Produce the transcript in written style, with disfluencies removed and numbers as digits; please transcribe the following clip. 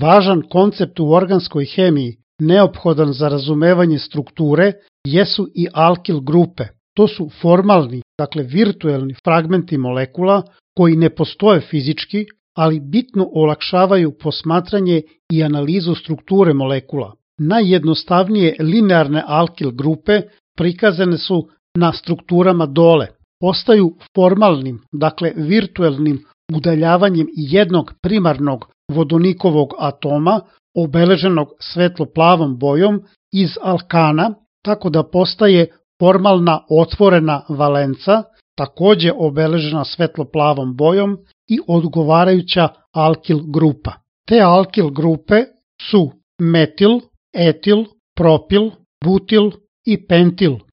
Važan koncept u organskoj hemiji, neophodan za razumevanje strukture, jesu i alkil grupe. To su formalni, dakle virtuelni fragmenti molekula koji ne postoje fizički, ali bitno olakšavaju posmatranje i analizu strukture molekula. Najjednostavnije linearne alkil grupe prikazane su na strukturama dole. Ostaju formalnim, dakle virtuelnim udaljavanjem jednog primarnog vodonikovog atoma obeleženog svetlo-plavom bojom iz alkana, tako da postaje formalna otvorena valenca, takođe obeležena svetlo-plavom bojom i odgovarajuća alkil grupa. Te alkil grupe su metil, etil, propil, butil i pentil.